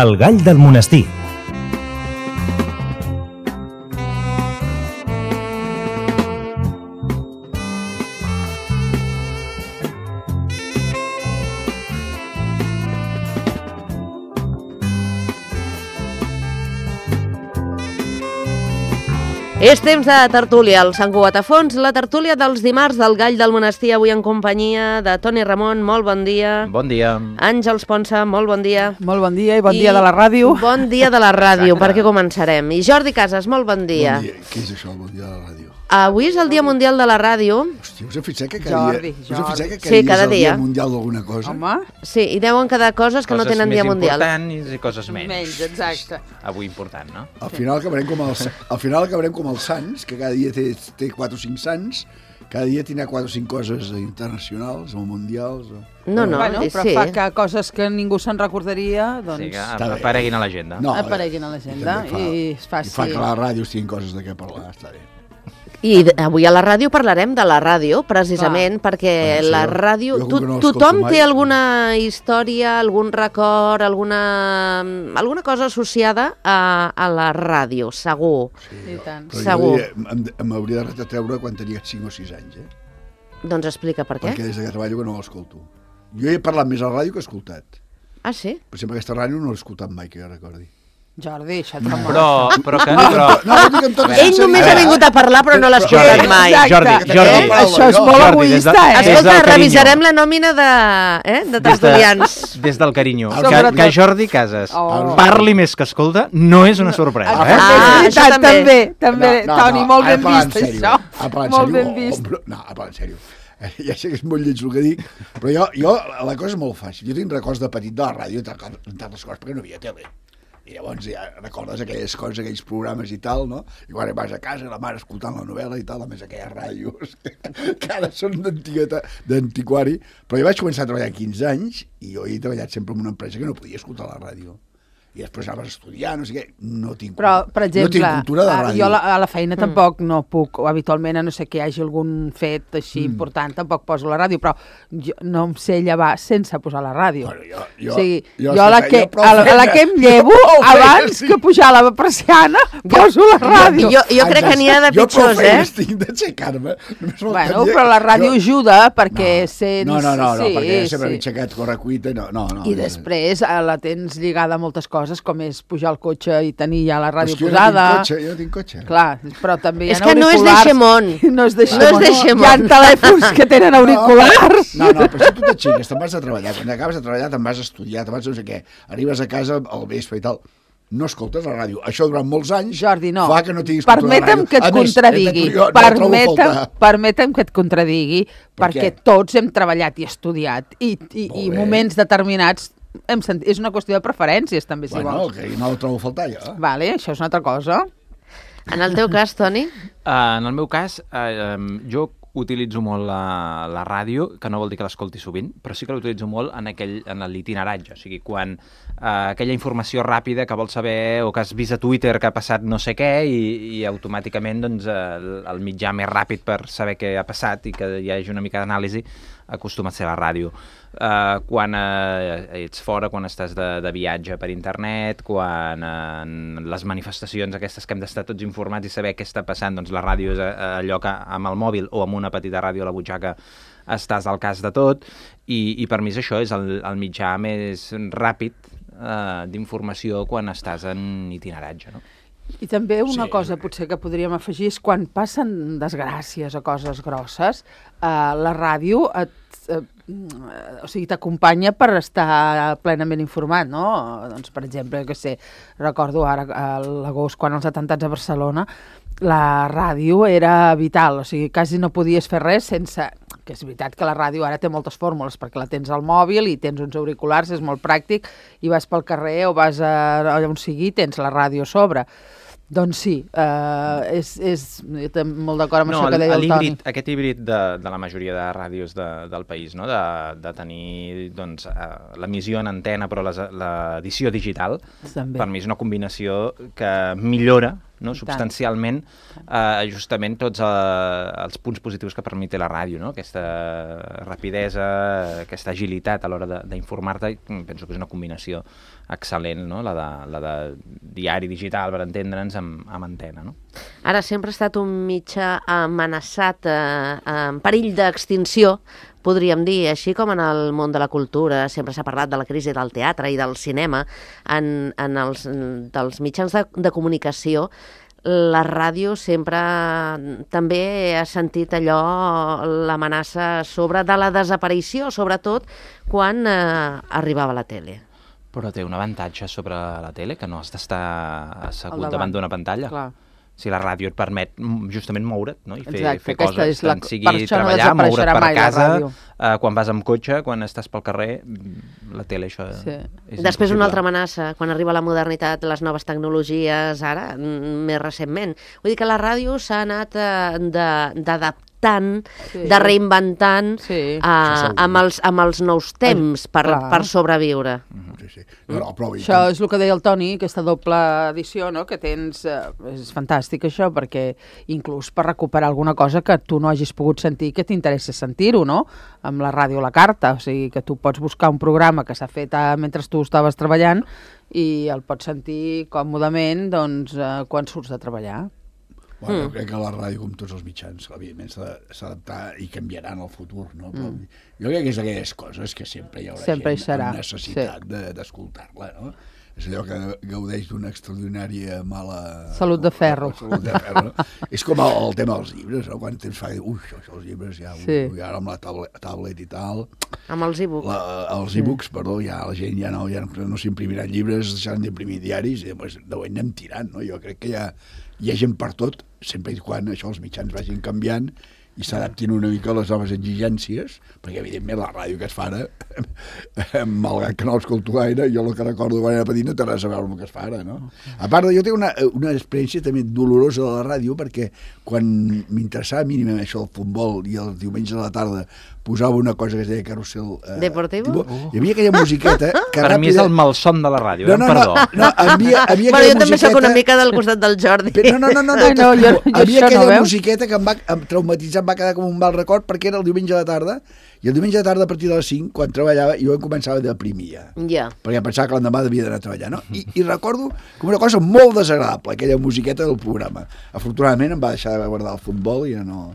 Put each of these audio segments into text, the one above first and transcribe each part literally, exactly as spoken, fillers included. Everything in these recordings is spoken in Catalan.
El gall del monestir. És temps de tertúlia, el Sant Cugat a fons, la tertúlia dels dimarts del Gall del Monestir, avui en companyia de Toni Ramon, molt bon dia. Bon dia. Àngels Ponsa, molt bon dia. Molt bon dia i bon I dia de la ràdio. Bon dia de la ràdio, perquè començarem. I Jordi Casas, molt bon dia. Bon dia. Què és això, el bon dia de la ràdio? Avui és el Dia Mundial de la Ràdio. Hòstia, us heu fixat que cada Jordi, dia, us heu fixat que cada Sí, dia cada és el dia. Dia Mundial d'alguna cosa? Home, Sí, i deuen quedar coses que no tenen Dia Mundial. Coses més importants i coses menys. menys, exacte. Avui important, no? Al final acabarem com els, al final acabarem com els sants, que cada dia té, té quatre o cinc sants, cada dia tindrà quatre o cinc coses internacionals o mundials. O... No, no, bueno, sí. però fa que coses que ningú se'n recordaria, doncs Sí, que Està bé. apareguin a l'agenda. No, apareguin a l'agenda també fa- i es faci... I fa que les ràdios tinguin coses de què parlar, està bé. I d- avui a la ràdio parlarem de la ràdio, precisament, Clar. perquè Bueno, sí, la jo- ràdio... jo com To que no l'escolto tothom mai. té alguna història, algun record, alguna, alguna cosa associada a, a la ràdio, segur. I tant. Però Segur. jo em- m'hauria de retatreure quan tenia cinc o sis anys, eh? Doncs explica per què. Perquè des que treballo que no l'escolto. Jo he parlat més a la ràdio que he escoltat. Ah, sí? Per exemple, aquesta ràdio no l'he escoltat mai, que jo recordi. Jordi, això et fa molt. Però, però que... Però, No, no dic amb tota Ell només ha sinceritat. vingut a parlar, però no l'ha escoltat Jordi, mai. Exacte. Jordi, Jordi, Eh? Això és Jo- molt Jordi, des de- egoista, eh? des del Escolta, carinyo. revisarem la nòmina de, eh, de des, tertulians. de, des del carinyo. Que, Sobretot. que Jordi Casas Oh. parli més que escolta no és una sorpresa, Ah, eh? Ah, és això veritat, també. també, també, Toni, molt ara ben parlant vist, en sèrio, això. ara parlant en Molt sèrio, ben vist. o- o- No, ara parlant en sèrio. Eh, Ja sé que és molt lleig el que dic, però jo, jo la cosa és molt fàcil. Jo tinc records de petit de la ràdio, entre altres coses, perquè no hi havia tele. I llavors ja recordes aquelles coses, aquells programes i tal, no? I quan vas a casa, la mare escoltant la novel·la i tal, a més aquelles ràdios que ara són d'antigueta, d'antiquari. Però jo vaig començar a treballar a quinze anys i jo he treballat sempre en una empresa que no podia escoltar la ràdio. I després anaves a estudiar, no sé què, no tinc, Però, per exemple, no tinc cultura de ah, ràdio. jo a la, a la feina tampoc no puc, o habitualment, a no sé que hi hagi algun fet així important, tampoc poso la ràdio, però jo no em sé llevar sense posar la ràdio. Bueno, jo, jo, o sigui, jo, jo, a la escolta, que, jo prou a, la, a la feina- que em llevo, prou feina, abans sí. que pujar la persiana, poso la ràdio. Jo, jo crec que n'hi ha de Jo prou pitjors, feina eh? estic d'aixecar-me. Només Bueno, faltaria- però la ràdio jo- ajuda perquè sents... No, no, no, no sí, perquè sempre sí. m'he aixecat correcuita i no, no, no. I després eh, la tens lligada a moltes coses, com és pujar al cotxe i tenir ja la Però és ràdio que jo posada. no tinc cotxe, jo no tinc cotxe. Clar, però també hi ha És que no és de auriculars. Xemont. No és de No és Xemont. de Hi ha Xemont. telèfons que tenen auriculars. No, no, però si tu t'aixeques, te'n vas a treballar, quan acabes de treballar te'n vas a estudiar, te'n vas a no sé què, arribes a casa al vespre i tal, no escoltes la ràdio. Això durant molts anys Jordi, no. fa que no tinguis cultura de Permetem ràdio. que et A més, contradigui. jo no la trobo a Permetem, faltar. permetem que et contradigui, Per perquè què? tots hem treballat i estudiat i, i, Molt i bé. moments determinats hem sentit, és una qüestió de preferències, també, si Bueno, vols. que no la trobo a faltar, jo. Vale, això és una altra cosa. En el teu cas, Toni? Uh, en el meu cas, uh, um, jo utilitzo molt la, la ràdio, que no vol dir que l'escolti sovint, però sí que l'utilitzo molt en, aquell, en l'itineratge. O sigui, quan uh, aquella informació ràpida que vols saber o que has vist a Twitter que ha passat no sé què i, i automàticament doncs, el, el mitjà més ràpid per saber què ha passat i que hi hagi una mica d'anàlisi acostuma a ser la ràdio. Uh, quan uh, ets fora, quan estàs de, de viatge per internet, quan uh, en les manifestacions aquestes que hem d'estar tots informats i saber què està passant, doncs la ràdio és uh, allò que amb el mòbil o amb una petita ràdio a la butxaca estàs al cas de tot i, i per mi és això, és el, el mitjà més ràpid uh, d'informació quan estàs en itineratge, no? I també una Sí. cosa potser que podríem afegir és quan passen desgràcies o coses grosses, eh, la ràdio et, eh, o sigui, t'acompanya per estar plenament informat, no? Doncs, per exemple, que sé, recordo ara a l'agost, quan els atemptats a Barcelona, la ràdio era vital, o sigui, quasi no podies fer res sense... Que és veritat que la ràdio ara té moltes fórmules, perquè la tens al mòbil i tens uns auriculars, és molt pràctic, i vas pel carrer o vas a, a on sigui, tens la ràdio a sobre. Doncs sí, uh, és, és jo estic molt d'acord amb No, això que deia el Toni. híbrid, aquest híbrid de, de la majoria de ràdios de, del país, no? de, de tenir doncs, uh, l'emissió en antena però les, l'edició digital, També. per mi és una combinació que millora no? substancialment eh, justament tots eh, els punts positius que permet la ràdio, no? Aquesta rapidesa, aquesta agilitat a l'hora d'informar-te, penso que és una combinació excel·lent, no? la, de, la de diari digital, per entendre'ns, amb, amb antena. No? Ara sempre ha estat un mitjà amenaçat, eh, en perill d'extinció, podríem dir, així com en el món de la cultura sempre s'ha parlat de la crisi del teatre i del cinema, en, en els dels mitjans de, de comunicació, la ràdio sempre també ha sentit allò, l'amenaça sobre de la desaparició, sobretot quan eh, arribava la tele. Però té un avantatge sobre la tele, que no has d'estar assegut davant. davant d'una pantalla. Clar. Si la ràdio et permet justament moure't, no? I fer, Exacte, fer aquesta coses, és la- tant per sigui això no treballar, moure't desapareixerà per mai la casa, ràdio. eh, quan vas amb cotxe, quan estàs pel carrer, la tele, això Sí. és Després impossible. una altra amenaça, quan arriba la modernitat, les noves tecnologies, ara, mm, més recentment. Vull dir que la ràdio s'ha anat eh, de- d'adaptant, Sí. de reinventant Sí. eh, Això segur. amb, els, amb els nous temps per, clar. per sobreviure. Sí, sí. No, no, però, i Això és el que deia el Toni, aquesta doble edició, no?, que tens, eh, és fantàstic això, perquè inclús per recuperar alguna cosa que tu no hagis pogut sentir, que t'interessa sentir-ho, no?, amb la ràdio a la carta, o sigui, que tu pots buscar un programa que s'ha fet eh, mentre tu estaves treballant i el pots sentir còmodament, doncs, eh, quan surts de treballar. Bueno, jo crec que la ràdio, com tots els mitjans, evidentment s'ha de- s'ha d'adaptar i canviarà en el futur, no? Però jo crec que és aquelles coses que sempre hi haurà Sempre hi gent serà, amb necessitat de- d'escoltar-la, no? És allò que gaudeix d'una extraordinària mala... Salut de ferro. Salut de ferro. No? És com el, el tema dels llibres, no? Quant temps fa que diu, ui, això, això, els llibres ja, Sí. ui, ara amb la tablet, tablet i tal, Amb els e-books. la, els e-books, perdó, ja la gent ja no, ja no, no s'imprimiran llibres, deixaran d'imprimir diaris i llavors ho anem tirant, no? Jo crec que hi ha, hi ha gent per tot, sempre i quan això els mitjans vagin canviant i s'adaptin una mica a les noves exigències, perquè evidentment la ràdio que es fa ara, malgrat que no l'escolto gaire, jo el que recordo quan era petit no té res a veure amb el que es fa ara, no? A part, jo tinc una, una experiència també dolorosa de la ràdio, perquè quan m'interessava mínimament això del futbol i el diumenge a la tarda posava una cosa que es deia Carrusel eh, Deportivo? tipo, hi havia aquella musiqueta que Per mi és ràpida- el malson de la ràdio, no, eh? no, Perdó. no, no, havia, havia Bueno, jo aquella també sóc una musiqueta- mica del costat del Jordi. Però no, no, no, no, Ai, no, jo- jo havia això no, aquella veus? musiqueta que em va em traumatitzar, em va quedar com un mal record perquè era el diumenge a la tarda i el diumenge a la tarda a partir de les cinc, quan treballava, jo em començava a deprimir ja, Ja. perquè pensava que l'endemà devia d'anar a treballar, no? I, I recordo com una cosa molt desagradable, aquella musiqueta del programa. Afortunadament em va deixar de guardar el futbol i ja no...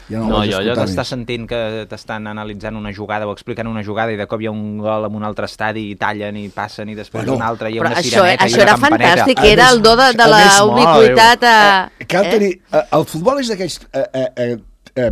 Ja no, No, vaig jo allò escoltar d'estar més. sentint que t'estan analitzant una jugada o explicant una jugada i de cop hi ha un gol en un altre estadi i tallen i passen i després Bueno, un altre i hi ha Però una això, sireneta i això una era campaneta. fantàstic, A era més- el do de, de a la més, mare ubiquitat a... Eh, cal tenir, eh, el futbol és d'aquells eh, eh, eh, eh,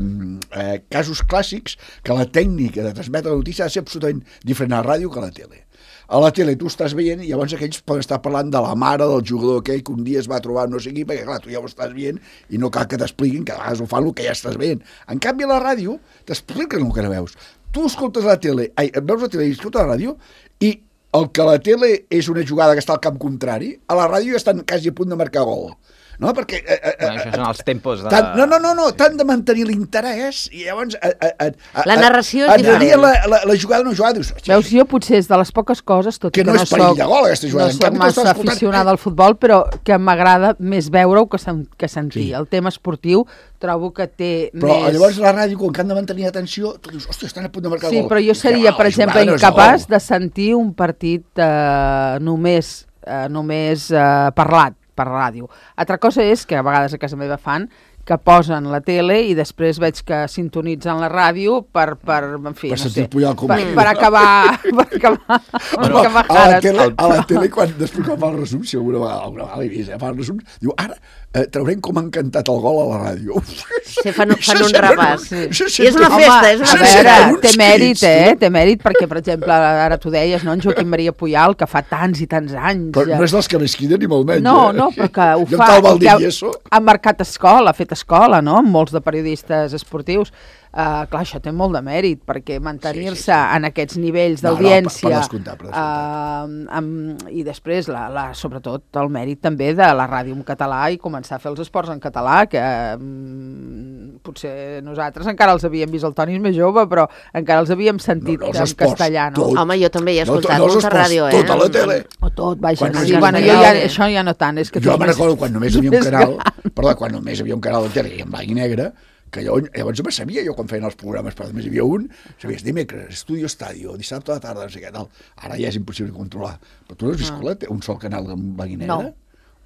eh, casos clàssics que la tècnica de transmetre la notícia ha de ser absolutament diferent a la ràdio que a la tele. A la tele tu estàs veient i llavors aquells poden estar parlant de la mare del jugador aquell que un dia es va trobar no sé qui, perquè clar, tu ja ho estàs veient i no cal que t'expliquin, que a vegades ho fan el que ja estàs veient. En canvi a la ràdio t'expliquen el que no veus. Tu escoltes la tele, ai, veus la tele i escoltes la ràdio i el que a la tele és una jugada que està al camp contrari, a la ràdio ja estan quasi a punt de marcar gol. No, perquè... Eh, eh, Bueno, això són els tempos de... Tant, no, no, no, no, t'han de mantenir l'interès i llavors... A, a, a, a, La narració és et diferent. rebien la, la, la jugada no jugada, dius... "Hosti, Veus, jo potser és de les poques coses, tot Que i que no no, és perill soc, de gol, aquesta jugada. no En soc canvi, tu estàs massa escoltant- aficionada al futbol, però que m'agrada més veure-ho que, sen que sentir. Sí. El tema esportiu trobo que té Però més... llavors la ràdio, quan que han de mantenir atenció, tu dius, hòstia, estan a punt de marcar Sí, gol. però jo Dius, seria, "Ah, per la exemple, jugada no és de incapaç gol." de sentir un partit eh, només, eh, només eh, parlat per ràdio. Altra cosa és que a vegades a casa meva fan que posen la tele i després veig que sintonitzen la ràdio per, per en fi, Per no sentir sé, pullar el per, comèdia. per acabar, per acabar, per No, acabar a, la cares. tele, a la tele, quan després quan fa el resum, si alguna vegada, alguna vegada l'he vist, eh, fa el resum, diu, ara eh, traurem com han cantat el gol a la ràdio. Uf, Sí, fan, fan això un sembla- repàs. això I és sembla- una festa, és una a Home, festa. veure, uns té mèrit, crits, eh? no? Té mèrit perquè, per exemple, ara tu deies, no?, en Joaquim Maria Puyal, que fa tants i tants anys... Però no és dels que més criden ni molt menys. No, eh? no, però que ho I el fa... tal i que Valdivieso... ha marcat escola, ha fet escola, no?, amb molts de periodistes esportius. Uh, clar, això té molt de mèrit, perquè mantenir-se Sí, sí, sí. en aquests nivells No, no, d'audiència... per- per descomptat, per uh, amb, i després, la, la, sobretot, el mèrit també de la ràdio en català i començar a fer els esports en català, que um, potser nosaltres encara els havíem vist, el Toni és més jove, però encara els havíem sentit No, no, els en esports, castellà, no? tot. Home, jo també he No, escoltat no els molta esports, ràdio, eh? tota la tele. O tot, vaja. Quan Sí, només bueno, hi jo havia- ja, això ja no tant, és que tu Jo ets me'n més- recordo quan només tu hi havia un més canal, gran. perdó, quan només hi havia un canal de tele i en blanc i negre, que jo, llavors me sabia jo quan feien els programes, però només hi havia un, sabies dimecres, Estudio Estadio, dissabte a la tarda, no sé què tal. Ara ja és impossible controlar. Però tu no has vist Ah. ah. un sol canal en blanc i negre? No.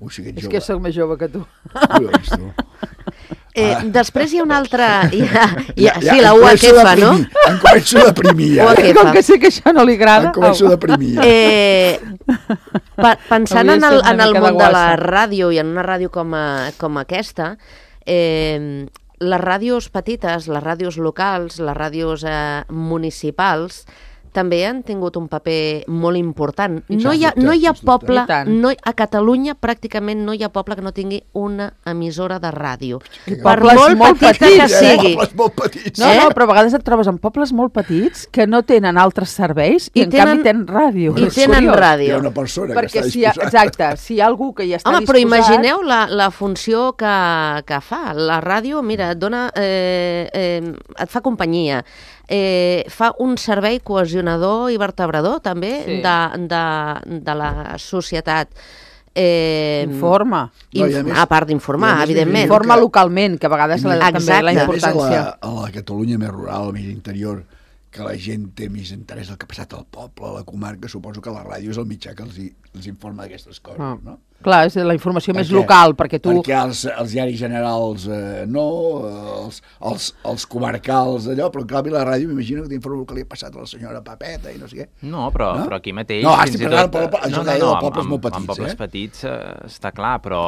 Ui, sí que ets És jove. que sóc més jove que tu. Ui, ho he vist, tu. Eh, Ah. després hi ha una altra... Hi ha, hi ha, Ja, sí, ja, la em U A començo Q a F, no? deprimir, Em començo a deprimir, ja. U A Q F. Com que sé que això no li agrada... Em començo a au. deprimir, ja. Eh, pa, pensant Hauria en de el, ser una en el mica de món de la guassa. ràdio i en una ràdio com, a, com aquesta, eh, les ràdios petites, les ràdios locals, les ràdios eh, municipals, també han tingut un paper molt important. I No sens hi ha, dubte, no hi ha sens dubte. poble, I tant. no, a Catalunya pràcticament no hi ha poble que no tingui una emissora de ràdio. Que Per pobles molt molt petita petits, que eh? sigui. Pobles molt petits. No, Eh? no, però a vegades et trobes en pobles molt petits que no tenen altres serveis i, I en tenen- canvi tenen ràdio. I És tenen curiós. Hi ràdio. ha una persona Perquè que està si hi ha, disposada. exacte, si hi ha algú que hi està Home, però disposat... imagineu la, la funció que, que fa. La ràdio, mira, et dona, eh, eh, et fa companyia, eh, fa un servei cohesionador i vertebrador, també, Sí. de, de, de la societat. Eh, Informa. No, i a inf- més- a part i a d'informar, més evidentment. vivim- Informa que- localment, que a vegades la, Exacte. també la I I a més, a importància. la, a la Catalunya més rural, més interior, que la gent té més interès el que ha passat al poble, a la comarca, suposo que la ràdio és el mitjà que els, hi, els informa d'aquestes coses, Ah. no? Clar, és la informació més Perquè- local, perquè tu... Perquè els, els diaris generals eh, no, eh, els, els, els comarcals allò, però en canvi la ràdio m'imagino que t'informa el que li ha passat a la senyora Papeta i no sé què. No, però, No? però aquí mateix... No, fins estic i parlant tot, de poble- això no, que no, deia no, de amb- pobles amb- molt petits, amb pobles eh? petits eh, està clar, però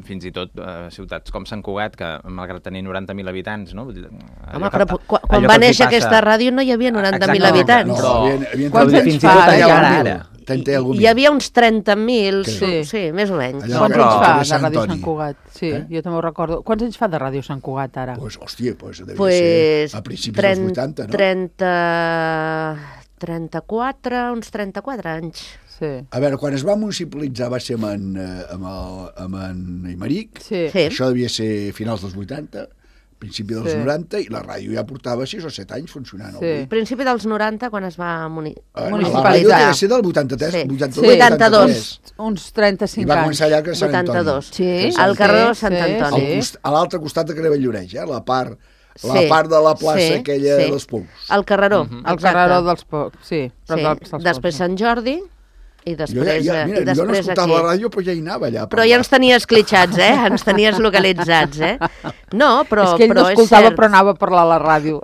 fins i tot eh, ciutats com Sant Cugat, que malgrat tenir noranta mil habitants, no? Vull dir, Home, allò però que- quan, quan allò va que els hi néixer passa- aquesta ràdio no hi havia noranta mil Exacte, habitants. No, Però- havien, havien Quants havien- anys fins i fa, tot ara, encara ja? ara. Trenta i algun Hi havia uns trenta mil, Sí. sí. sí, més o menys. Allà Quants però- anys fa de de Sant Ràdio Toni. Sant Cugat? Sí, Eh? jo també ho recordo. Quants anys fa de Ràdio Sant Cugat, ara? Pues, hòstia, pues, devia Pues, ser a principis dels vuitanta, no? trenta, trenta-quatre, uns trenta-quatre anys. Sí. A veure, quan es va municipalitzar va ser amb en, eh, amb el, amb en Aymeric, Sí. Sí. això devia ser finals dels vuitanta, principi dels Sí. noranta, i la ràdio ja portava sis o set anys funcionant. Sí. avui. Principi dels noranta, quan es va muni... Eh, Municipalitzar. La ràdio devia ser del vuitanta-tres, Sí. vuitanta-dos, Sí. vuitanta-dos. Uns I trenta-cinc va anys. començar allà que a Sant Antoni. vuitanta-dos. Sí, Al carrer de sí, Sant sí, Antoni. Al cost- A l'altre costat de Carrer Valldoreix, eh? la part, la Sí, part de la plaça sí, aquella sí. dels Pous. Al carreró, Mhm. El carreró dels Pocs, sí. Però Sí. dels, dels Després Pocs, Sant Jordi i Jo, després, ja, ja, eh, mira, i jo no després escoltava aquí. la ràdio, però ja hi anava allà. a Però ja ens parlar. tenies clitxats, eh? Ens tenies localitzats, eh? No, però, és que ell però no és escoltava, cert. però anava a parlar a la ràdio.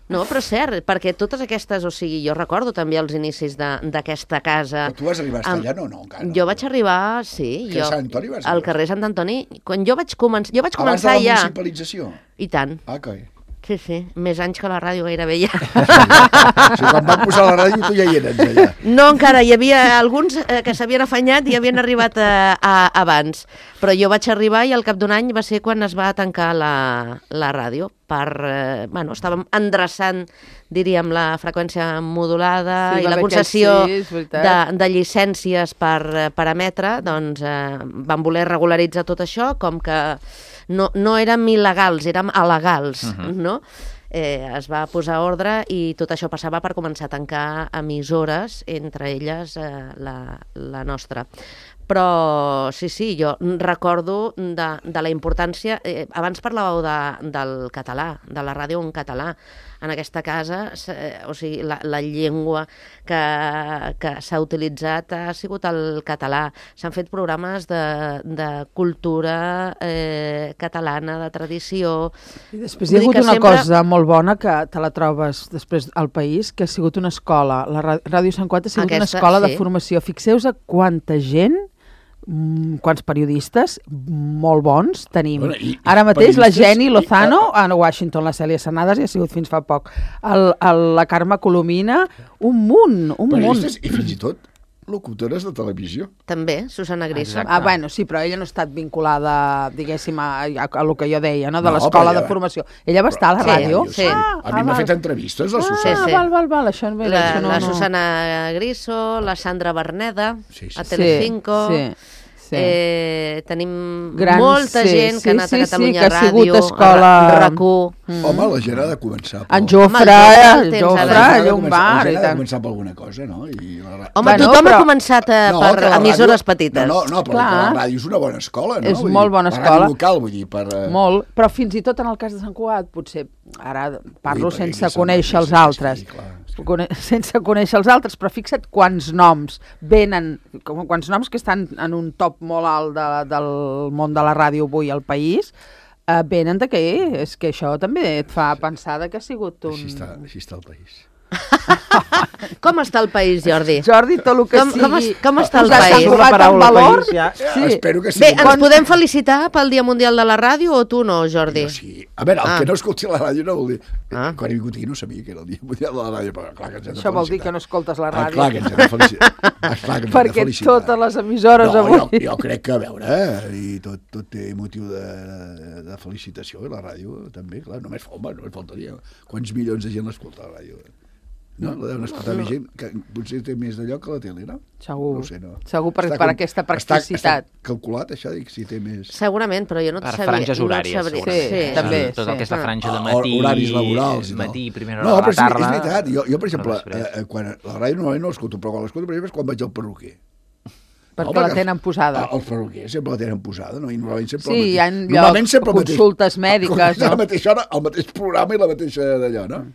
No, però és cert, perquè totes aquestes, o sigui, jo recordo també els inicis de- d'aquesta casa. Però tu vas arribar a estar Am- allà, no? No, encara. no. Jo vaig arribar, sí, Que a jo, Sant Antoni vas al arribar? carrer Sant Antoni, quan jo vaig, començar, jo vaig Abans de començar la ja, municipalització? i tant, Ah, que... sí, sí, més anys que la ràdio gairebé ja. O sigui, quan van posar la ràdio, tu ja hi eres allà. No, encara, hi havia alguns eh, que s'havien afanyat i havien arribat a, a, abans, però jo vaig arribar i al cap d'un any va ser quan es va tancar la, la ràdio, per, eh, bueno, estàvem endreçant, diríem, la freqüència modulada Sí, i va la haver concessió aquells- sí, és veritat. de, de llicències per, eh, per emetre, doncs eh, van voler regularitzar tot això, com que no, no érem il·legals, érem alegals, uh-huh. no? Eh, es va posar ordre i tot això passava per començar a tancar emissores, entre elles eh, la, la nostra. Però sí, sí, jo recordo de, de la importància... Eh, abans parlàveu de, del català, de la ràdio en català. En aquesta casa, eh, o sigui, la, la llengua que, que s'ha utilitzat ha sigut el català. S'han fet programes de, de cultura eh, catalana, de tradició... I després hi ha Vull dir hagut que una sempre- cosa molt bona que te la trobes després al país, que ha sigut una escola. La Ra- Ràdio Sant Cugat ha sigut una Aquesta, escola sí. de formació. Fixeu-vos a quanta gent, mm, quants periodistes molt bons tenim. Bueno, i- i Ara mateix la periodistes Jenny i- Lozano, a Washington, la Cèlia Sernades, i ha sigut fins fa poc. El, el, la Carme Colomina, un munt, un munt. Periodistes i fins i tot locutores de televisió. També, Susana Griso. Exacte. Ah, bueno, sí, però ella no ha estat vinculada, diguéssim, a, a, a lo que jo deia, no? De No, l'escola però de ella- formació. Ella va estar a la Sí, ràdio? sí. Ah, A mi ah, m'ha val. fet entrevistes, la Ah, Susana. Sí, sí. val, val, val, això, bé, La, això no, la no... Susana Griso, la Sandra Berneda, Sí, sí. a Telecinco... Sí, sí. Sí. Eh, tenim Grans, molta sí, gent que sí, ha anat sí, a sí, Catalunya que ha sigut Ràdio, escola- a RAC u. Mm. Home, la gent ha de començar. En Home, Jofre, el Jofre el el tens Jofre, ara. ha de Llum començar- Bar la i gent ha de tant. començar per alguna cosa, no? I la, ra- Home, Bueno, tothom però- ha començat a, No, per que la emissores ràdio- petites. No, no, no, però Clar. que la ràdio és una bona escola, no? És Vull molt dir, bona la escola. ràdio local, vull dir, per... eh, Molt, però fins i tot en el cas de Sant Cugat, potser, ara parlo Ui, perquè sense aquí se'n conèixer va, els sí, altres, sí, clar, és que- Cone- sense conèixer els altres, però fixa't quants noms venen, com- quants noms que estan en un top molt alt de, del món de la ràdio avui al país, eh, venen de què? És que això també et fa pensar de que ha sigut un... Així està, així està el país. Com està el país, Jordi? Jordi, tot el que Com- sigui... com es- com està el posat país? en La paraula valor, país ja- sí. Espero que Bé, sigui... ens podem felicitar pel Dia Mundial de la Ràdio o tu no, Jordi? Jo sí. A veure, el Ah. que no escolti la ràdio no vol dir... Ah. Quan he vingut aquí no sabia que era el dia mundial de la ràdio, però clar que ens hem de Això vol dir felicitar. que no escoltes la Ah, ràdio. clar que ens hem de felicitar. Ah, clar que ens hem de Perquè felicitar. totes les emissores no, avui... Jo, jo crec que, a veure, eh, i tot, tot té motiu de, de felicitació, i la ràdio també, clar, només, home, només faltaria. Quants milions de gent l'escolta a la ràdio? No? La deuen escoltar més gent, que potser té més de lloc que la tele, no? Segur. No ho sé, no. Segur per, Està per com- aquesta Està, practicitat. està calculat, això, dic, si té més... Segurament, però jo no et Per sabria. franges no et horàries, sabria. segurament. Sí, també, Tot el que és la sí. franja de Ah, matí, horaris laborals i tal. matí, primera No, hora però de la és, tarda... és veritat. Jo, jo per exemple, després. eh, quan la ràdio normalment no l'escolto, però quan l'escolto, per exemple, és quan vaig al perruquer. Perquè No, la tenen posada. Ah, els perruquers sempre la tenen posada, no? I normalment sempre Sí, el mateix. hi ha Normalment llocs, sempre el mateix- consultes mèdiques, A la no? mateixa hora, el mateix programa i la mateixa d'allò, no?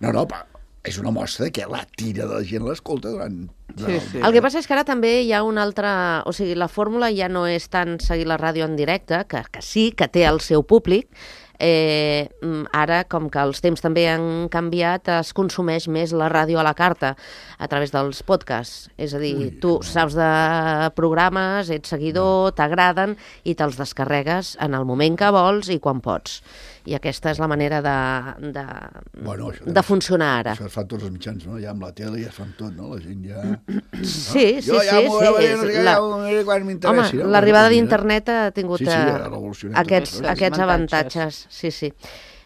No, no, però és una mostra que la tira de la gent l'escolta durant... durant Sí, el sí. dia. El que passa és que ara també hi ha una altra... O sigui, la fórmula ja no és tant seguir la ràdio en directe, que, que sí, que té el seu públic. Eh, mm, ara, com que els temps també han canviat, es consumeix més la ràdio a la carta a través dels podcasts. És a dir, Ui, tu saps de programes, ets seguidor, t'agraden i te'ls descarregues en el moment que vols i quan pots. I aquesta és la manera de, de, Bueno, això de funcionar ara. Això es fan tots els mitjans, no? Ja amb la tele ja es fan tot, no? La gent ja... Sí, sí, Jo ja sí. m'ho sí, veuré, és no sé què, la- ja ho veuré quan Home, m'interessi. no? l'arribada Mira. d'internet ha tingut Sí, sí, eh, ha revolucionat aquests, totes les aquests avantatges. avantatges. Sí, sí.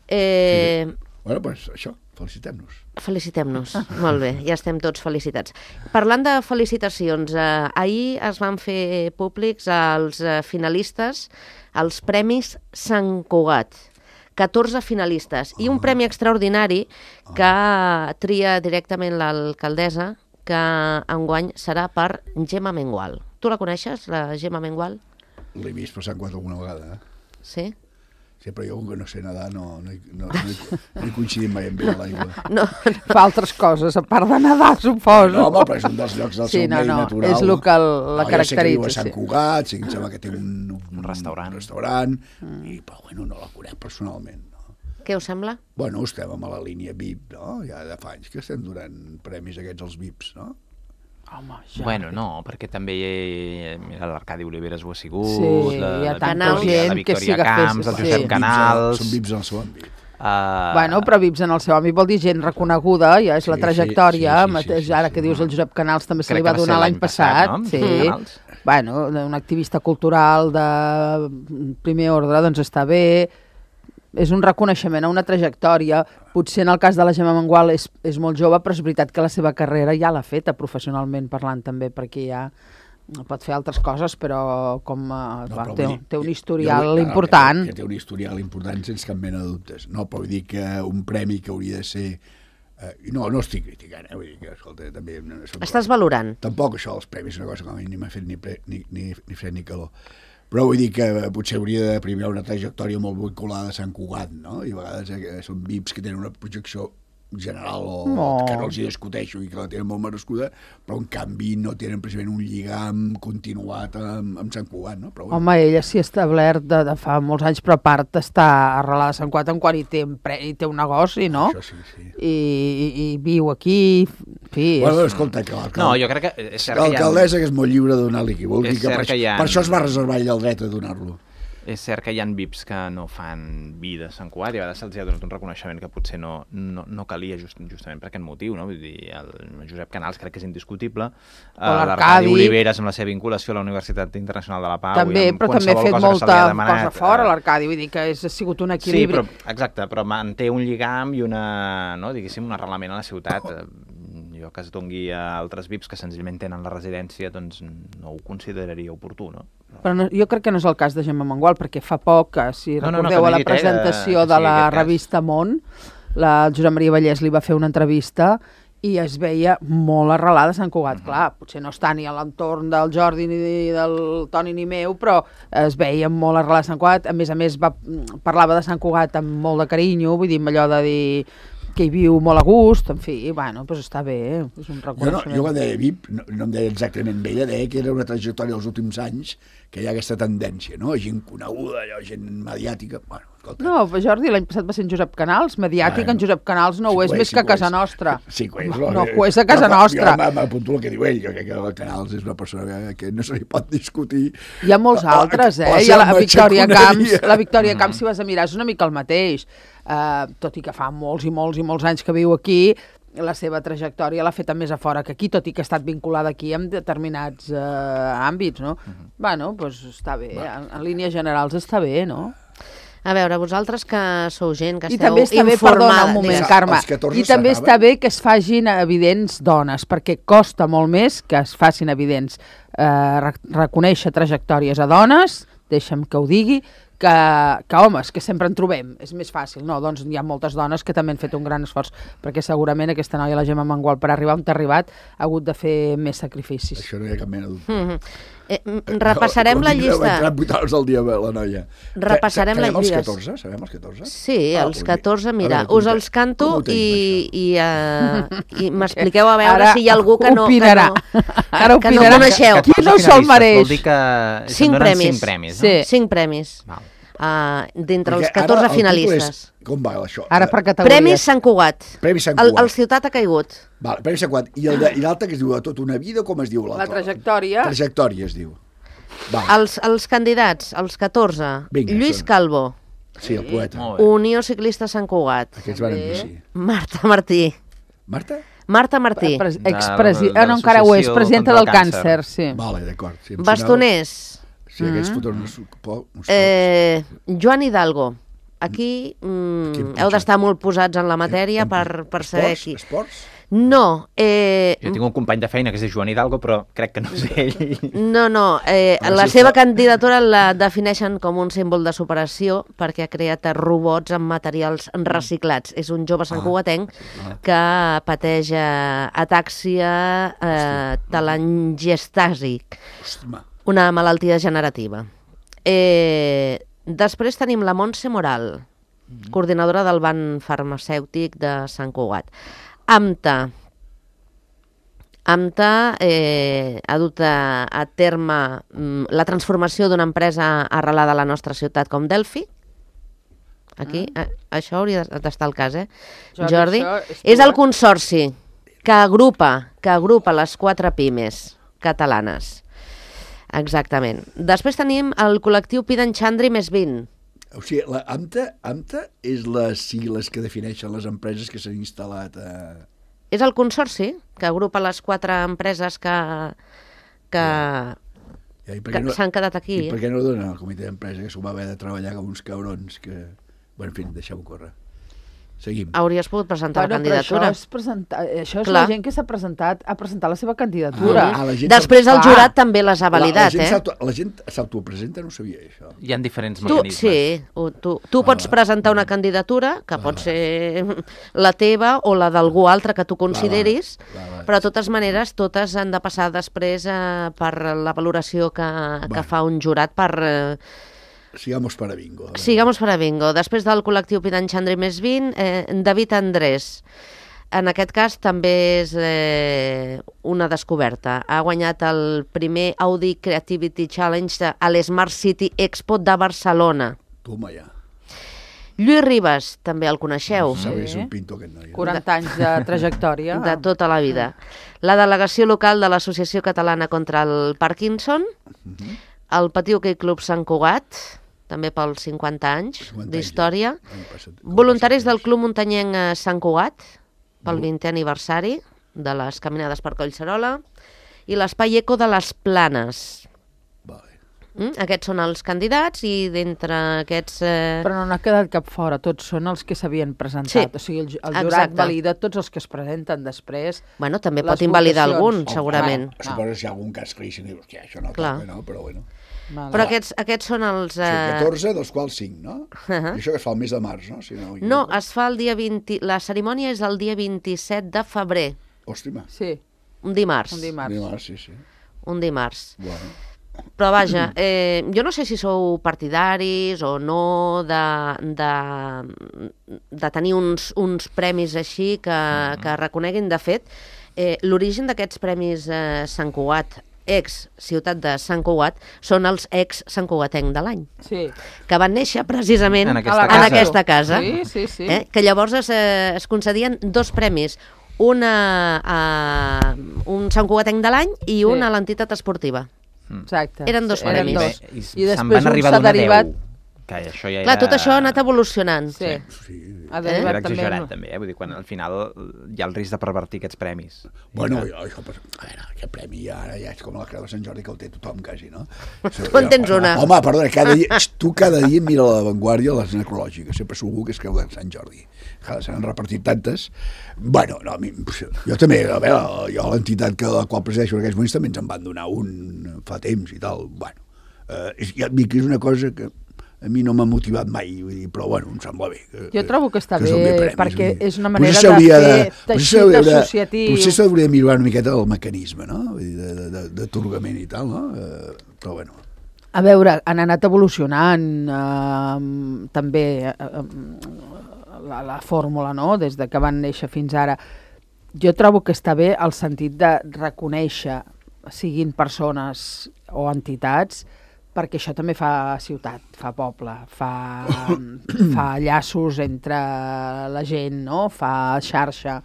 Eh, Bueno, doncs això, felicitem-nos. Felicitem-nos. Molt bé, ja estem tots felicitats. Parlant de felicitacions, eh, ahir es van fer públics els eh, finalistes als Premis Sant Cugat. catorze finalistes i un premi extraordinari que tria directament l'alcaldessa, que enguany serà per Gemma Mengual. Tu la coneixes, la Gemma Mengual? L'he vist per Sant Cugat alguna vegada, eh? Sí? Sí, però jo, com que no sé nedar, no, no, he- no, no, he, no he coincidit mai amb ell a l'aigua. No, Fa altres coses, a part de nedar, suposo. No, home, però és un dels llocs del Sí, seu no, medi no, natural. és el que el- la no, ja sé que viu a caracteritza, Sant sí. Cugat, sí que em sembla que té un, un, Un restaurant. Un restaurant i, però bueno, no la conec personalment. No? què us sembla? Bueno, estem a la línia V I P, no? Ja de fa anys que estem donant premis aquests als V I Ps, no? Home, ja. Bueno, no, perquè també eh, mira, l'Arcadi Oliveres ho ha sigut, Sí, la, hi ha la tanta Victòria, gent la que Victòria sí que fes- Camps, el sí. Josep Canals... Són V I Ps en el seu àmbit. Uh, Bueno, però Vips en el seu àmbit vol dir gent reconeguda, ja és Sí, la sí, trajectòria, sí, sí, mateix, sí, sí, ara sí. que dius el Josep Canals també se Crec li va que va ser donar l'any l'any passat, passat, no? sí. Canals. Bueno, un activista cultural de primer ordre, doncs està bé, és un reconeixement a una trajectòria. Potser en el cas de la Gemma Mengual és, és molt jove, però és veritat que la seva carrera ja l'ha feta professionalment parlant també, perquè ja pot fer altres coses, però com eh, No, va, però té, vull dir, té un jo- historial jo vull- important. Que, que té un historial important sense cap mena de dubtes. No, però vull dir que un premi que hauria de ser... Eh, no, no estic criticant, eh? Vull dir que, escolta, també... No, soc- Estàs valorant. Tampoc això dels premis és una cosa que a mi ni m'ha fet ni, pre, ni, ni, ni fred ni calor. Però vull dir que potser hauria de premiar una trajectòria molt vinculada a Sant Cugat, no? I a vegades eh, són V I Ps que tenen una projecció general o No. que no els hi discuteixo i que la tenen molt merescuda, però en canvi no tenen precisament un lligam continuat amb, amb Sant Cugat, no? Però, bueno, Home, ella s'hi ha establert de, de fa molts anys, però a part està arrelada a Sant Cugat en quan hi té, empre- hi té un negoci, no? això sí, sí. I, i, i viu aquí, en fi... Bueno, és... escolta, que l'alcalde- No, jo crec que és cert que hi ha... l'alcaldessa que és molt lliure de donar-li qui vulgui, És que cert per, que hi ha- per això es va reservar ell el dret a donar-lo. és cert que hi ha V I Ps que no fan vida a Sant Cugat i a vegades se'ls ha donat un reconeixement que potser no, no, no calia just, justament per aquest motiu, no? Vull dir, el Josep Canals crec que és indiscutible, uh, l'Arcadi Oliveres amb la seva vinculació a la Universitat Internacional de la Pau. També, i amb però també ha fet cosa molta demanat, cosa fora l'Arcadi, vull dir que és, ha sigut un equilibri. Sí, però, exacte, però manté un lligam i una, no, diguéssim, un arrelament a la ciutat. Jo que es dongui a altres V I Ps que senzillament tenen la residència, doncs no ho consideraria oportú, no? Però no, jo crec que no és el cas de Gemma Mengual, perquè fa poc, que, si no, no, recordeu no, a la dit, presentació eh, de la revista Món, la Josep Maria Vallès li va fer una entrevista i es veia molt arrelada a Sant Cugat. Uh -huh. Clar, potser no està ni a l'entorn del Jordi ni del Toni ni meu, però es veia molt arrelada a Sant Cugat. A més a més, va, parlava de Sant Cugat amb molt de carinyo, vull dir, amb allò de dir que hi viu molt a gust, en fi, bueno, doncs està bé, és un reconeixement. Jo, no, jo quan deia V I P, no, no em deia exactament bé, ella deia que era una trajectòria dels últims anys, que hi ha aquesta tendència, no? Gent coneguda, allò, gent mediàtica, bueno, escolta. No, Jordi, l'any passat va ser en Josep Canals, mediàtic, bueno, en Josep Canals no sí, ho és, és més sí, que a casa és. nostra. Sí, que és. No, no ho és a casa nostra. Jo m'apunto el que diu ell, jo crec que el Canals és una persona que, que no se li pot discutir. Hi ha molts altres, eh? Hi ha la Victòria Camps, la Victòria Camps, si vas a mirar, és una mica el mateix. Uh, tot i que fa molts i molts i molts anys que viu aquí, la seva trajectòria l'ha feta més a fora que aquí, tot i que ha estat vinculada aquí en determinats uh, àmbits, no? Uh -huh. Bueno, doncs està bé, en, en línies generals està bé, no? A veure, vosaltres que sou gent que I esteu també està bé, perdona un moment, Carme, i també està bé que es facin evidents dones, perquè costa molt més que es facin evidents eh, reconèixer trajectòries a dones, deixa'm que ho digui, que, que homes, que sempre en trobem, és més fàcil, no? Doncs hi ha moltes dones que també han fet un gran esforç, perquè segurament aquesta noia, la Gemma Mengual, per arribar on t'ha arribat, ha hagut de fer més sacrificis. Això no hi ha cap mena de dubte. Mm -hmm. eh, repassarem no, la llista. Va entrar vuit hores al dia la noia. Repassarem la llista. Sabem els catorze? Sabem els catorze? Sí, ah, els catorze, mira, veure, us els canto i, i, uh, i m'expliqueu a veure ara si hi ha algú que no, opinarà. que no, ara que no coneixeu. Qui no se'l mereix? Vol dir que cinc premis. cinc premis, no? Sí. Cinc premis. Val. Uh, d'entre els catorze finalistes. És, com va això? Ara per categories. Premis Sant Cugat. Premis Sant Cugat. El, el Ciutat ha caigut. Vale, Premis Sant Cugat. I l'altre que es diu a tota una vida, com es diu l'altre? La trajectòria. Trajectòria es diu. Els, els candidats, els catorze. Vinga, Lluís són... Calvo. Sí, el poeta. Unió Ciclista Sant Cugat. Aquests van dir sí. Marta Martí. Marta? Marta Martí. Expresidenta, no, encara ho és, presidenta del càncer, sí. Vale, d'acord. Sí, Bastoners. Sí, aquests foten uns, uns eh, Joan Hidalgo. Aquí mm, heu d'estar molt posats en la matèria per, per saber qui. Esports? No. Eh, jo tinc un company de feina que es diu Joan Hidalgo, però crec que no és ell. No, no. Eh, la seva candidatura la defineixen com un símbol de superació perquè ha creat robots amb materials reciclats. És un jove santcugatenc que pateix atàxia eh, telangiectàsic. Una malaltia degenerativa. Eh, després tenim la Montse Moral, mm-hmm. coordinadora del Banc Farmacèutic de Sant Cugat. AMTA. AMTA eh, ha dut a, a terme mm, la transformació d'una empresa arrelada a la nostra ciutat com Delphi. Aquí, ah. a, això hauria d'estar al cas, eh? Jordi, Jordi. És, és el consorci que agrupa, que agrupa les quatre pimes catalanes. Exactament. Després tenim el col·lectiu Pidan Chandri més vint. O sigui, la AMTA, AMTA és les sigles que defineixen les empreses que s'han instal·lat a... És el consorci que agrupa les quatre empreses que, que, ja. Ja, que no, s'han quedat aquí. I per què no donen al comitè d'empresa, que s'ho va haver de treballar com uns cabrons que... Bueno, en fi, deixem-ho córrer. Seguim. Hauries pogut presentar bueno, la candidatura. Això és, presentar, això és la gent que s'ha presentat a presentar la seva candidatura. Ah, la Després el jurat també les ha validat, la, la eh? La gent s'autopresenta, no sabia això. Hi ha diferents tu, mecanismes. Sí, tu, tu pots ah, presentar una candidatura, que ah, pot ser la teva o la d'algú altre que tu consideris, va, va, va, però de totes maneres totes han de passar després eh, per la valoració que, que fa un jurat per... Eh, Sigamos para bingo. Sigamos para bingo. Després del col·lectiu Pidan Chandri més vint, eh, David Andrés. En aquest cas també és eh, una descoberta. Ha guanyat el primer Audi Creativity Challenge a l'Smart City Expo de Barcelona. Toma ja. Lluís Ribas, també el coneixeu. Sí. És un pinto aquest noi. quaranta anys de trajectòria. De tota la vida. La delegació local de l'Associació Catalana contra el Parkinson, uh-huh. el Patí Hoquei Club Sant Cugat, també pels cinquanta anys cinquanta d'història. anys, l'any passat. Voluntaris del Club Muntanyenc eh, Sant Cugat, pel vintè aniversari de les caminades per Collserola, i l'Espai Eco de les Planes. Vale. Mm? Aquests són els candidats i d'entre aquests... Eh... Però no n'ha quedat cap fora, tots són els que s'havien presentat. Sí, o sigui, el, el jurat exacte. valida tots els que es presenten després. Bueno, també les pot invalidar votacions. algun, segurament. Oh, suposo que si hi ha algun cas claríssim, dius, hòstia, això no Clar. toca, no? Però bueno. Vale. Però aquests, aquests són els... O sigui, Eh... catorze, dels quals cinc, no? Uh -huh. I això que es fa el mes de març, no? Si no, No, es fa el dia vint... La cerimònia és el dia vint-i-set de febrer, Hòstima. Sí, un dimarts. un dimarts. Dimarts, sí, sí. Un dimarts. Bueno. Però vaja, eh, jo no sé si sou partidaris o no de, de, de tenir uns, uns premis així que, que reconeguin. De fet, eh, l'origen d'aquests premis eh, Sant Cugat, ex-ciutat de Sant Cugat, són els ex-Sant Cugatenc de l'any, Sí. que van néixer precisament En aquesta en casa. aquesta casa. Sí, sí, sí. Eh? Que llavors es, eh, es concedien dos premis, una a un Sant Cugatenc de l'any i Sí. un a l'entitat esportiva. Exacte. Eren dos Eren premis. dos. I, I se'n després van un arribar s'ha a donar derivat... deu. Que això ja Clar, era... tot això ha anat evolucionant. Sí. Sí. Ha Era derivat també... exagerat, en- també, eh? Vull dir, quan al final hi ha el risc de pervertir aquests premis. Bueno, I, jo, això, pues, a veure, aquest premi ja, ara ja és com la Creu de Sant Jordi, que el té tothom, quasi, no? Tu en tens una. Home, perdona, cada dia, tu cada dia mira a l'avantguàrdia les necrològiques, sempre segur que és Creu de Sant Jordi. Se n'han repartit tantes. Bueno, no, a mi, jo també, a veure, jo l'entitat que la qual presideixo en aquests moments també ens en van donar un fa temps i tal. Bueno, eh, és, ja, és una cosa que a mi no m'ha motivat mai, vull dir, però bueno, em sembla bé. Que, Jo trobo que està que bé, són premis, perquè vull dir. és una manera Potser de s'hauria fer potser teixit s'hauria de- associatiu. Potser s'hauria de millorar una miqueta el mecanisme, no? Vull dir, de- de- de- d'atorgament i tal, no? Eh, però bueno. A veure, han anat evolucionant eh, també eh, eh, la, la fórmula, no?, des de que van néixer fins ara. Jo trobo que està bé el sentit de reconèixer, siguin persones o entitats, perquè això també fa ciutat, fa poble, fa, fa llaços entre la gent, no?, fa xarxa,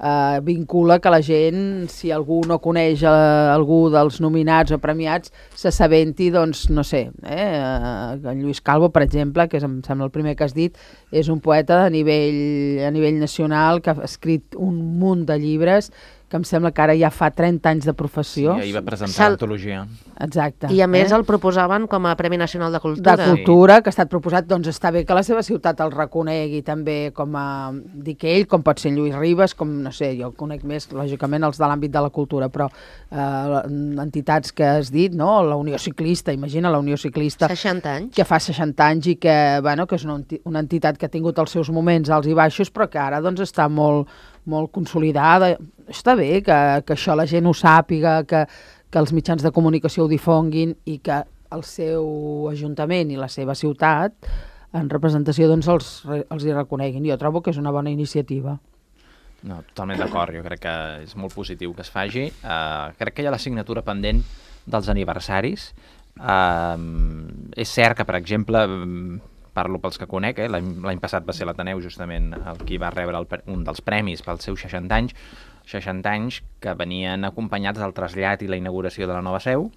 eh, vincula que la gent, si algú no coneix eh, algú dels nominats o premiats, s'assabenti, doncs, no sé, eh, en Lluís Calvo, per exemple, que és, em sembla el primer que has dit, és un poeta a nivell, a nivell nacional que ha escrit un munt de llibres que em sembla que ara ja fa trenta anys de sí, professió. ahir va presentar Sal- l'antologia. Exacte. I a més eh? el proposaven com a Premi Nacional de Cultura. de cultura, que ha estat proposat, doncs està bé que la seva ciutat el reconegui també com a, dic ell, com pot ser en Lluís Ribes, com, no sé, jo conec més, lògicament, els de l'àmbit de la cultura, però eh, entitats que has dit, no?, la Unió Ciclista, imagina la Unió Ciclista, seixanta anys. que fa seixanta anys i que, bueno, que és una, enti- una entitat que ha tingut els seus moments alts i baixos, però que ara doncs, està molt, molt consolidada. Està bé que, que això la gent ho sàpiga, que, que els mitjans de comunicació ho difonguin i que el seu ajuntament i la seva ciutat en representació doncs, els, re- els hi reconeguin. Jo trobo que és una bona iniciativa. No, totalment d'acord, jo crec que és molt positiu que es faci. Uh, crec que hi ha la signatura pendent dels aniversaris. Uh, és cert que, per exemple, mm, parlo pels que conec, eh, l'any l'any passat va ser l'Ateneu justament el qui va rebre el, pre- un dels premis pels seus seixanta anys, seixanta anys que venien acompanyats del trasllat i la inauguració de la nova seu.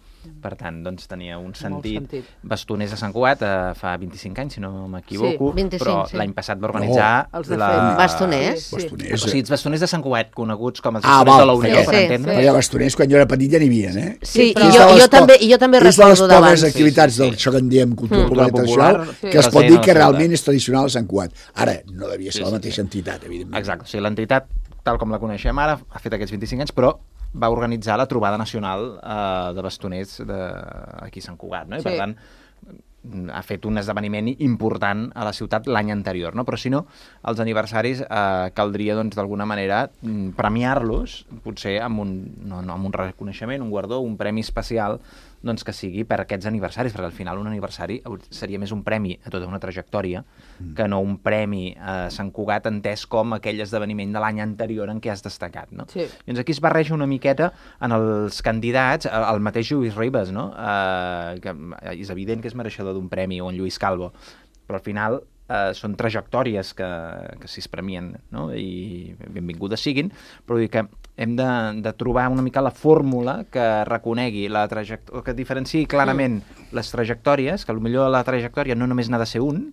Per tant, doncs, tenia un sentit. sentit. Bastoners de Sant Cugat eh, fa vint-i-cinc anys, si no m'equivoco, Sí, vint-i-cinc, però sí. l'any passat va organitzar No, els de la... fet. Bastoners? Sí. Bastoners. O sigui, els bastoners de Sant Cugat, coneguts com els Ah, bastoners val, de la Unió, sí, per sí, entendre. Perquè bastoners, quan jo era petit, ja n'hi havia, eh? Sí, però- i És jo, de les jo, po- també, jo també és de les recordo poques d'abans. activitats Sí, sí, del sí. això que en diem cultura Mm. popular i Popular, tradicional, sí. que es pot Present dir a la que ciutat. realment és tradicional a Sant Cugat. Ara, no devia ser Sí, la sí, mateixa sí. entitat, evidentment. Exacte, o sigui, l'entitat, tal com la coneixem ara, ha fet aquests vint-i-cinc anys, però va organitzar la trobada nacional eh, de bastoners de, aquí a Sant Cugat, no? I Sí. per tant, ha fet un esdeveniment important a la ciutat l'any anterior, no? Però si no, els aniversaris eh, caldria, doncs, d'alguna manera mm, premiar-los, potser amb un, no, no, amb un reconeixement, un guardó, un premi especial, doncs que sigui per aquests aniversaris, perquè al final un aniversari seria més un premi a tota una trajectòria mm. que no un premi a Sant Cugat entès com aquell esdeveniment de l'any anterior en què has destacat, no? Sí. Llavors aquí es barreja una miqueta en els candidats, el mateix Lluís Ribes, no? Eh, que és evident que és mereixedor d'un premi, o en Lluís Calvo, però al final eh, són trajectòries que, que s'hi es premien, no? I benvingudes siguin, però dir que hem de, de trobar una mica la fórmula que reconegui la trajectòria, que diferenciï clarament mm. les trajectòries, que potser la trajectòria no només n'ha de ser un,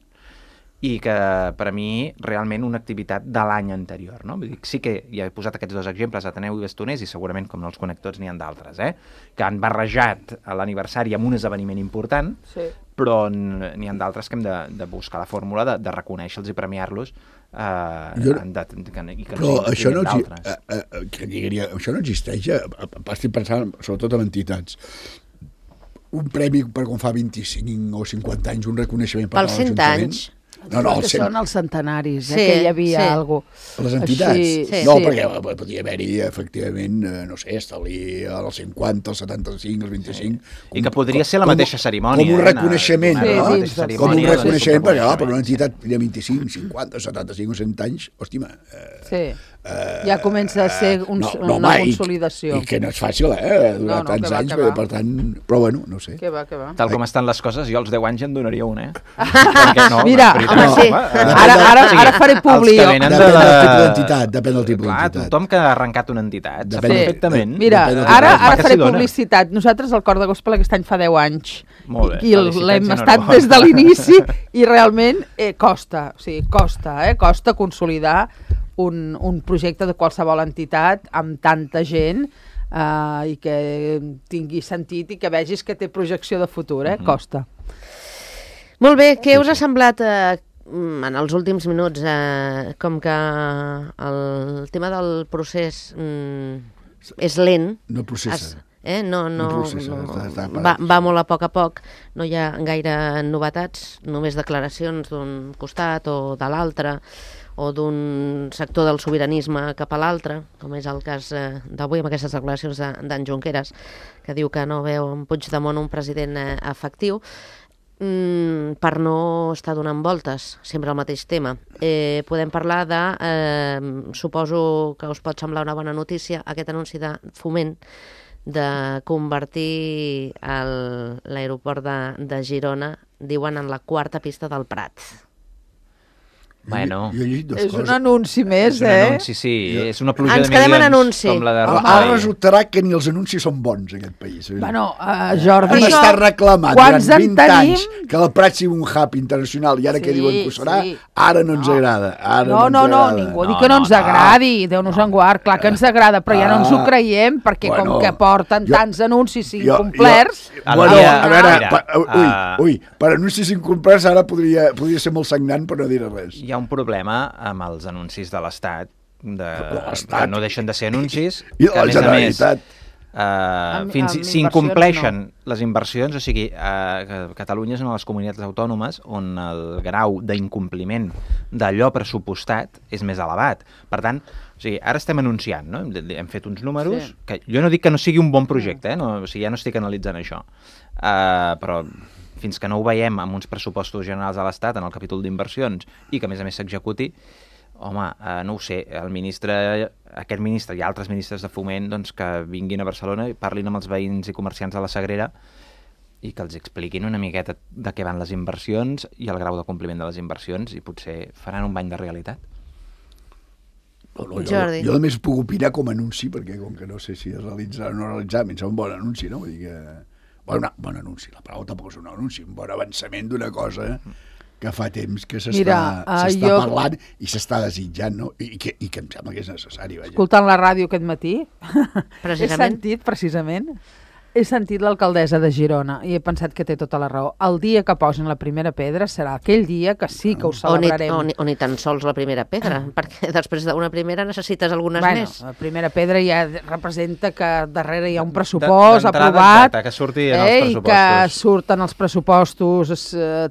i que per a mi realment una activitat de l'any anterior, no? Vull dir, sí que ja he posat aquests dos exemples, Ateneu i Bastoners, i segurament, com no els connectors, n'hi ha d'altres, eh? Que han barrejat l'aniversari amb un esdeveniment important, sí. però n'hi ha d'altres que hem de, de buscar la fórmula de, de reconèixer-los i premiar-los eh, jo, de, que, i que però no això no, d'altres. Eh, eh, que diria, això no existeix, eh? Estic pensant sobretot en entitats. Un premi per quan fa vint-i-cinc o cinquanta anys, un reconeixement per als ajuntaments. No, no, que són els centenaris, eh, sí, que hi havia sí. alguna cosa. Les entitats? Així, sí. No, sí. perquè podia haver-hi, efectivament, no sé, establir els cinquanta, els setanta-cinc, els vint-i-cinc... Sí. Com, I que podria ser la mateixa cerimònia. Com un reconeixement, eh? no? Sí, sí, com un reconeixement, perquè, clar, per una entitat de vint-i-cinc, cinquanta, setanta-cinc o cent anys, hòstima... Eh, sí. Uh, ja comença a ser un, no, no, una home, consolidació. I, I que no és fàcil, eh? Durar no, no, tants va, anys, per, per tant... Però bueno, no sé. Que va, que va. Tal com estan les coses, jo als deu anys en donaria un, eh? No, mira, home, sí. No, ara, ara, ara faré publi. Depèn de... del tipus d'entitat, depèn del tipus d'entitat. Clar, tothom que ha arrencat una entitat, sap sí. perfectament. Mira, ara, ara faré publicitat. Nosaltres, el Cor de Gospel, aquest any fa deu anys. Molt bé. I l'hem estat des de l'inici i realment eh, costa, o sigui, costa, eh? Costa consolidar Un, un projecte de qualsevol entitat amb tanta gent uh, i que tingui sentit i que vegis que té projecció de futur, eh? Mm-hmm. Costa. Molt bé, què us ha semblat eh, en els últims minuts eh, com que el tema del procés mm, és lent? No processa. Es, eh? No, no, no, processa, no està, està va, va molt a poc a poc, no hi ha gaire novetats, només declaracions d'un costat o de l'altre, o d'un sector del sobiranisme cap a l'altre, com és el cas eh, d'avui amb aquestes declaracions d'en de, Junqueras, que diu que no veu en Puigdemont un president eh, efectiu, mm, per no estar donant voltes, sempre el mateix tema. Eh, podem parlar de, eh, suposo que us pot semblar una bona notícia, aquest anunci de Foment de convertir l'aeroport de, de Girona, diuen, en la quarta pista del Prat. Bueno, jo, jo és coses. Un anunci més, és un eh? Anunci, sí, és una pluja Ens de milions anunci. com la de Rajoy. Ara resultarà que ni els anuncis són bons, en aquest país. Bueno, uh, Jordi... Hem estat reclamant durant vint anys que el Prat sigui un hub internacional i ara sí, que diuen que ho serà, sí. ara no ens no. agrada. Ara no, no, no, no, ningú no, diu que no, no ens no, agradi, no. Déu-nos en guard, clar que ens agrada, però ja no ens ho creiem, perquè bueno, com que porten jo, tants anuncis incomplerts... Jo, jo, bueno, a veure, pa, ui, ui, per anuncis incomplerts ara podria, podria ser molt sagnant per no dir res. Hi ha un problema amb els anuncis de l'Estat, de, que no deixen de ser anuncis, I que a més a més, uh, amb, fins amb si incompleixen no. les inversions, o sigui, uh, Catalunya és una de les comunitats autònomes on el grau d'incompliment d'allò pressupostat és més elevat. Per tant, o sigui, ara estem anunciant, no? Hem fet uns números, sí. que jo no dic que no sigui un bon projecte, eh? No, o sigui, ja no estic analitzant això, uh, però fins que no ho veiem amb uns pressupostos generals de l'Estat en el capítol d'inversions i que a més a més s'executi, home, eh, no ho sé, el ministre, aquest ministre i altres ministres de Foment doncs, que vinguin a Barcelona i parlin amb els veïns i comerciants de la Sagrera i que els expliquin una miqueta de què van les inversions i el grau de compliment de les inversions i potser faran un bany de realitat. No, no, jo, jo només puc opinar com a anunci, perquè com que no sé si es realitza o no realitzar, em sembla un bon anunci, no? Vull dir que... Bon, bon anunci, la paraula tampoc és un anunci, un bon avançament d'una cosa que fa temps que s'està uh, jo... parlant i s'està desitjant, no? I, i, que, i que em sembla que és necessari. Vaja. Escoltant la ràdio aquest matí, he sentit, precisament, he sentit l'alcaldessa de Girona i he pensat que té tota la raó. El dia que posin la primera pedra serà aquell dia que sí que ho celebrarem. O ni, o ni, o ni tan sols la primera pedra, perquè després d'una primera necessites algunes bueno, més. La primera pedra ja representa que darrere hi ha un pressupost aprovat, exacte, que surti en eh, els pressupostos. I que surten els pressupostos, eh,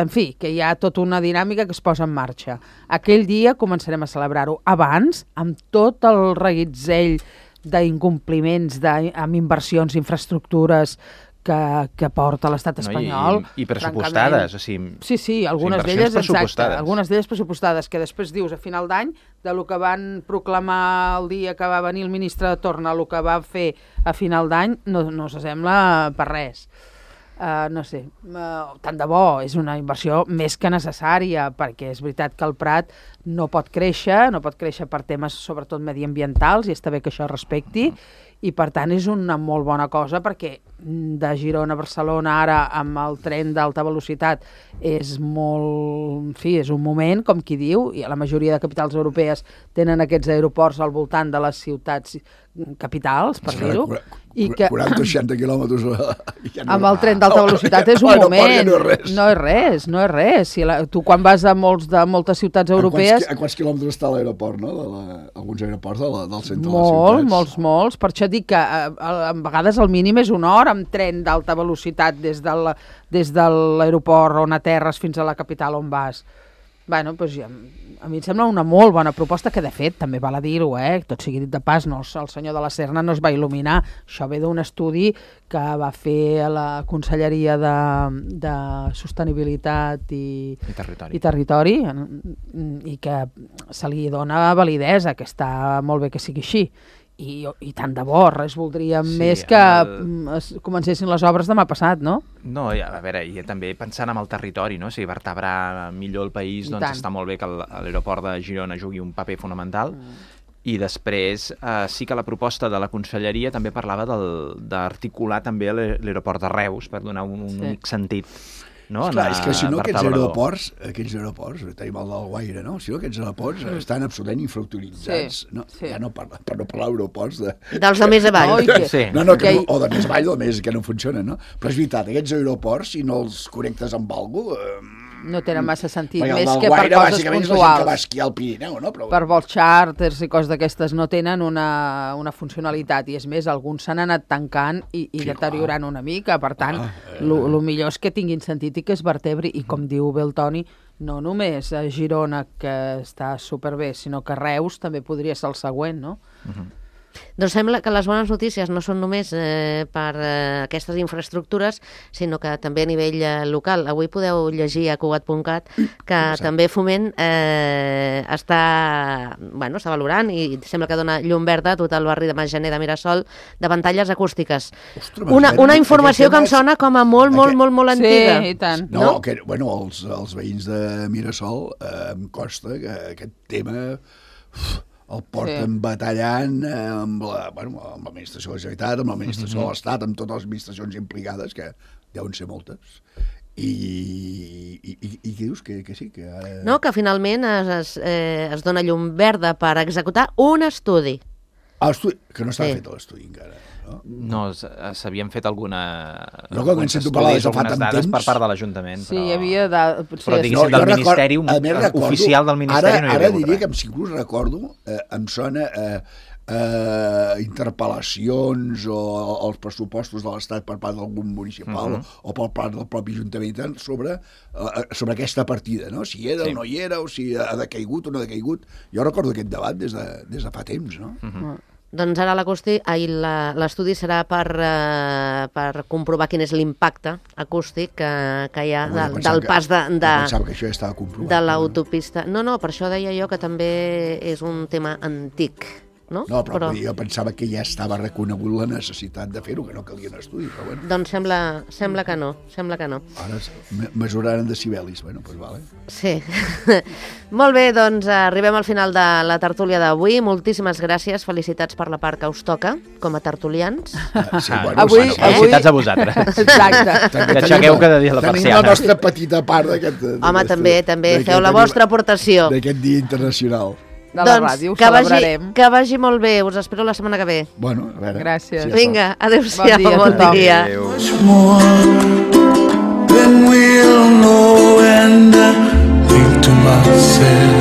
en fi, que hi ha tota una dinàmica que es posa en marxa. Aquell dia començarem a celebrar-ho. Abans, amb tot el reguitzell d'incompliments, amb inversions, infraestructures que, que porta l'estat espanyol. No, i, i pressupostades. O sigui, sí, sí, algunes d'elles, exacte, algunes d'elles pressupostades, que després dius a final d'any, de lo que van proclamar el dia que va venir el ministre de Torna, el que va fer a final d'any, no, no s'assembla per res. Uh, no sé, uh, tant de bo, és una inversió més que necessària, perquè és veritat que el Prat no pot créixer, no pot créixer per temes sobretot mediambientals, i està bé que això es respecti, i per tant és una molt bona cosa, perquè de Girona a Barcelona ara amb el tren d'alta velocitat és molt, en fi, és un moment, com qui diu, i la majoria de capitals europees tenen aquests aeroports al voltant de les ciutats capitals, per dir-ho, i que quaranta o seixanta quilòmetres ja no, amb el tren d'alta velocitat és un moment, no és res, no és res, no és res. Si la, tu quan vas a, molts de, moltes ciutats europees... A quants, a quants quilòmetres està l'aeroport, no? De la, alguns aeroports de la, del centre molt, de les ciutats. Molts, molts, per això dic que a, a, a vegades el mínim és una hora amb tren d'alta velocitat des de la, des de l'aeroport on aterres fins a la capital on vas. Bueno, doncs ja, a mi em sembla una molt bona proposta, que de fet també val a dir-ho, eh? Tot sigui dit de pas, no, el senyor de la Serna no es va il·luminar, això ve d'un estudi que va fer a la Conselleria de, de Sostenibilitat i, I Territori, i, territori i que se li dona validesa, que està molt bé que sigui així. I, i tant de bo, res voldríem sí, més que el... es comencessin les obres demà passat, no? No, a veure, i també pensant en el territori, no? O sigui, vertebrar millor el país, I doncs tant. Està molt bé que l'aeroport de Girona jugui un paper fonamental, mm. i després eh, sí que la proposta de la Conselleria també parlava d'articular també l'aeroport de Reus, per donar un, un sí. únic sentit. No? Esclar, és que si no aquests aeroports, aquests aeroports, tenim el del Guaire, no? Si no aquests aeroports mm. estan absolutament infrautilitzats, sí, no? Sí. Ja no parla, per no parlar d'aeroports de... Dels de més avall. No, que... sí. no, no, que no, o de més avall o de més que no funcionen, no? Però és veritat, aquests aeroports, si no els connectes amb alguna cosa... Eh... No tenen massa sentit, Perquè més que Guaire, per coses puntuals. És la gent que va esquiar al Pirineu, no? Però... Per vols xàrters i coses d'aquestes no tenen una, una funcionalitat, i és més, alguns s'han anat tancant i, i sí, deteriorant clar. Una mica, per tant, ah, eh... el millor és que tinguin sentit i que es vertebri, i com diu bé el Toni, no només a Girona, que està superbé, sinó que Reus també podria ser el següent, no? Uh-huh. Doncs sembla que les bones notícies no són només eh, per eh, aquestes infraestructures, sinó que també a nivell eh, local. Avui podeu llegir a Cugat punt cat que sí. també Foment eh, està, bueno, està valorant i sembla que dona llum verda a tot el barri de Masgener de Mirasol de pantalles acústiques. Ostres, una, una informació que em sona com a molt, molt, aquest... molt, molt antiga. Sí, i tant. No, no? Que, bueno, els, els veïns de Mirasol eh, em costa que aquest tema... Uf, el porten sí. batallant amb la, bueno, amb l'administració de la Generalitat, amb l'administració mm-hmm. de l'Estat, amb totes les administracions implicades, que deuen ser moltes. I, i, i, i què dius? Que, que sí? Que ara... No, que finalment es, es, eh, es dona llum verda per executar un estudi. Ah, estudi, que no estava sí. fet l'estudi encara. No, no s'havien fet alguna... No, que quan sento parlar de fa tant temps... per part de l'Ajuntament, sí, però... hi havia... De... Però diguéssim, no, del Ministeri, un, recordo, oficial del Ministeri ara, no hi havia Ara diria que em, inclús recordo, eh, em sona eh, eh, interpel·lacions o els pressupostos de l'Estat per part d'algun municipal uh-huh. o, o per part del propi Ajuntament sobre, eh, sobre aquesta partida, no? Si era sí. o no hi era, o si ha decaigut o no ha decaigut. Jo recordo aquest debat des de, des de fa temps, no? Uh-huh. Doncs ara l'estudi serà per, uh, per comprovar quin és l'impacte acústic que, que hi ha de, del pas de, de, que ja de l'autopista. No, no, per això deia jo que també és un tema antic. No, no però, però jo pensava que ja estava reconegut la necessitat de fer-ho, que no calia un estudi, però bueno. Doncs sembla, sembla que no, sembla que no. Ara mesuraran decibelis, bueno, doncs vale. Sí. Molt bé, doncs arribem al final de la tertúlia d'avui. Moltíssimes gràcies, felicitats per la part que us toca, com a tertulians. Ah, sí, bueno, avui, bueno, felicitats avui... a vosaltres. Exacte. I aixequeu cada dia la persiana. Tenim la nostra petita part d'aquest... Home, també, també, feu la vostra aportació. D'aquest dia internacional. De la doncs, ràdio, ho que celebrarem. Vagi, que vagi molt bé, us espero la setmana que ve. Bueno, a veure. Gràcies. Si vinga, adéu-siau, bon dia. Bon dia. Adéu. Then we'll know and I think to myself